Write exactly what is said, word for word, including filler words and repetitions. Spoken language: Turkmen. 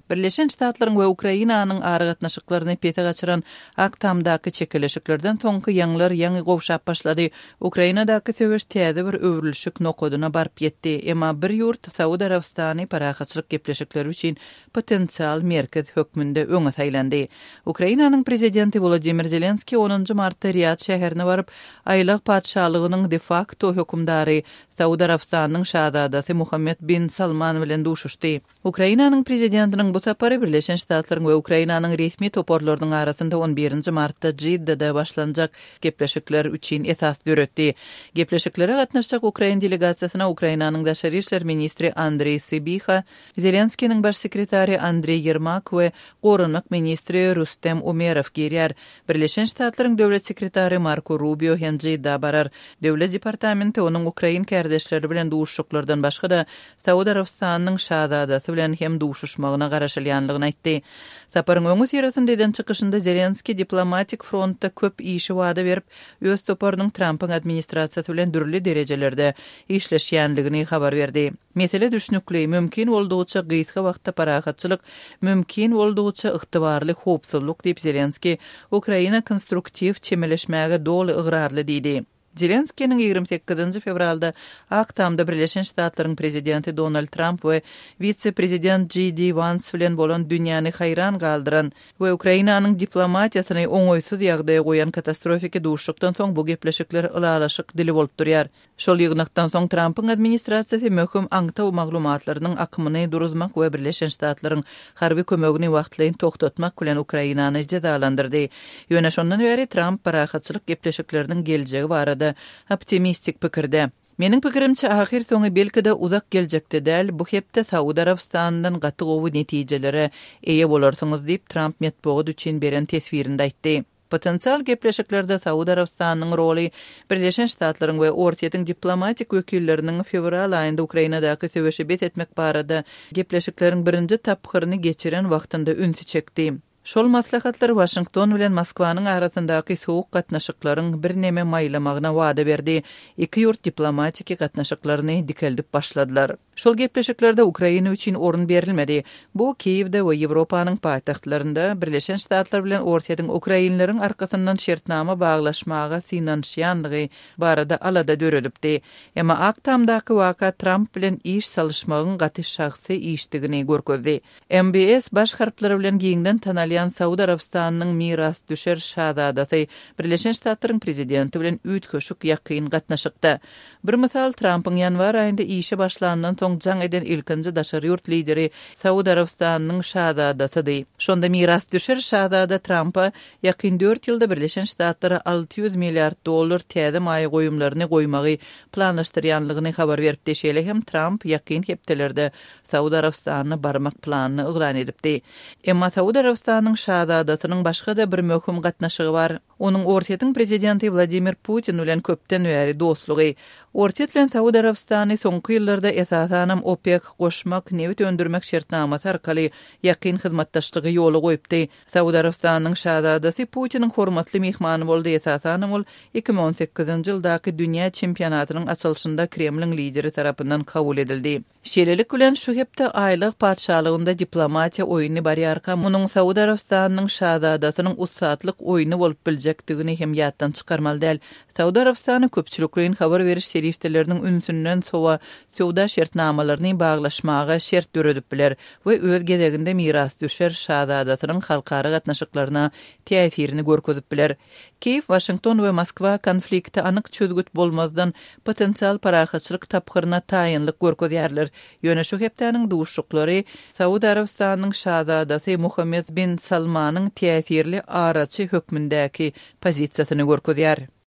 Birleşen Ştatlaryň we Ukrainanyň aragatnaşyklaryny pese gaçyran Ak Tamdaky çekeleşiklerden soňky ýaňlar ýaňy gowşap başlady. Ukrainadaky söweş täze bir öwrülişik nokadyna baryp ýetdi. Emma bir ýurt Saud Arabystany parahatçylyk gepleşikleri üçin potensial merkez hökmünde öňe saýlandy. Ukrainanyň prezidenti Volodymyr Zelenskiý onunjy martda Riýad şäherine baryp, Aýlag patyşalygynyň de facto hökümdary Saud Arabystanynyň şazadasy Muhammed bin Salman bilen duşuşdy. Ukrainanyň prezidentiniň bu sapary Birleşen Ştatlaryň we Ukrainanyň resmi toparlarynyň arasynda on birinji martda Jiddada başlanjak gepleşikler üçin esas döretdi. Gepleşiklere gatnaşjak Ukrain delegasiýasyna Ukrainanyň daşary işler ministri Andrei Sybiha, Zelenskiniň baş sekretary Andrei Yermak we goranmak ministri Rustem Umerow girýär. Birleşen Ştatlaryň döwlet sekretary Marko Rubio hem Jidda barar. Döwlet departamenti onuň Ukrain kardeşleri bilen duşuşyklardan başga da Saud Arabystanynyň şazadasy bilen hem duşuşmagyna garaşylýanlygyny aýtdy. Saparyň öňi syrasynda eden çykyşynda Zelenski diplomatik frontda köp işi wada berip, öz toparynyň Trumpyň administrasiýasy bilen dürli derejelerde işleşýänligini habar berdi. Mesele düşnükli, mümkin boldugyça gysga wagtda parahatçylyk, mümkin boldugyça ygtybarly howpsuzlyk diýip Zelenski Ukraina konstruktiw çemeleşmäge doly ygrarly diýdi. Zelenskiniň ýigrimi sekizinji fewralda Ak Tamda Birleşen Ştatlaryň prezidenti Donald Trump we wise-prezident J D Vance bilen bolan dünýäni haýran galdyran we Ukrainanyň diplomatiýasyny oňaýsyz ýagdaýa goýan katastrofiki duşuşykdan soň bu gepleşikler ylalaşyk dili bolup durýar. Şol ýygnakdan soň Trumpyň administrasiýasy möhüm aňtaw maglumatlarynyň akymyny duruzmak we Birleşen Ştatlaryň harby kömegini wagtlaýyn toxtatmak bilen Ukrainany jezalandyrdy. Ýöne şondan bäri Trump parahatçylyk gepleşikleriniň geljegi barada optimistik pikirde. Meniň pikirimçe ahyr soňy belki-de uzak geljekde däl, bu hepde Saud Arabystanyndan gaty gowy netijelere eýe bolarsyňyz diýip Trump metbugat üçin beren teswirinde aýtdy. Potensial gepleşiklerde Saud Arabystanynyň roly Birleşen Ştatlaryň we Orsýetiň diplomatik wekilleriniň fewral aýynda Ukrainadaky söweşi bes etmek barada gepleşikleriň birinji tapgyryny geçiren wagtynda ünsi çekdi. Şol maslahatlar Washington bilen Moskwanyň arasyndaky soğuk gatnaşyklaryň bir neme maýlamagyna wada berdi. Iki ýurt diplomatiki gatnaşyklaryny dikeldip başladylar. Şol gepleşiklerde Ukraina üçin orun berilmedi. Bu Kiýewde we Ýewropanyň paýtagtlarynda Birleşen Ştatlar bilen Orsýetiň Ukrainleriň arkasyndan şertnama baglaşmaga synanyşýanlygy barada alada döredipdi. Emma Ak Tamdaky waka Trump bilen iş salyşmagyň gaty şahsy işdigini görkezdi. M B S baş harplary bilen giňden tanalýan Saud Arabystanynyň mirasdüşer şazadasy Birleşen Ştatlaryň prezidenti bilen üýtgeşik ýakyn gatnaşykda. Bir mysal Trumpyň ýanwar aýynda işe başlandan soň jaň eden ilkinji daşary ýurt lideri Saud Arabystanynyň şazadasydy. Şonda mirasdüşer şazada Trumpa ýakyn dört ýylda Birleşen Ştatlara alty ýüz milliard dollar täze maýa goýumlaryny goýmagy planlaşdyrýanlygyny habar beripdi. Şeýle hem Trump ýakyn hepdelerde Saud Arabystanyna barmak planyny yglan edipdi. Emma Saud Arabystanynyň şazadasynyň başga-da bir möhüm gatnaşygy bar. Onuň Orsýetiň prezidenti Wladimir Putin bilen köpden bäri dostlugy. Orsýet bilen Saud Arabystany soňky ýyllarda esasanam OPEC goşmak, nebit öndürmek şertnamasy arkaly ýakyn hyzmatdaşlygy ýola goýupdy. Saud Arabystanynyň şazadasy Putiniň hormatly mehmany boldy. Esasanam ol iki müň on sekizinji ýyldaky dünýä çempionatynyň açylyşynda Kremliň lideri tarapyndan kabul edildi. Şeýlelik bilen şu hepde aýlyk patyşalygynda diplomatiýa oýny barýarka, munuň Saud Arabystanynyň şazadasynyň ussatlyk oýny bolup biljekdigini hem ýatdan çykarmaly däl. Saud Arabystany köpçülikleýin habar beriş serişdeleriniň ünsünden sowa söwda şertnamalaryny baglaşmaga şert döredip biler we öz gezeginde mirasdüşer şazadasynyň halkara gatnaşyklaryna täsirini görkezip biler. Kiýew, Washington we Moskwa konflikti anyk çözgüt bolmazdan potensial parahatçylyk tapgyryna taýynlyk görkezýärler. Ýöne şu hepdäniň duşuklary Saud Arabystanynyň şazadasy Muhammed bin Salmanyň täsirli araçy hökmündäki pozisiýasyny görkezýär.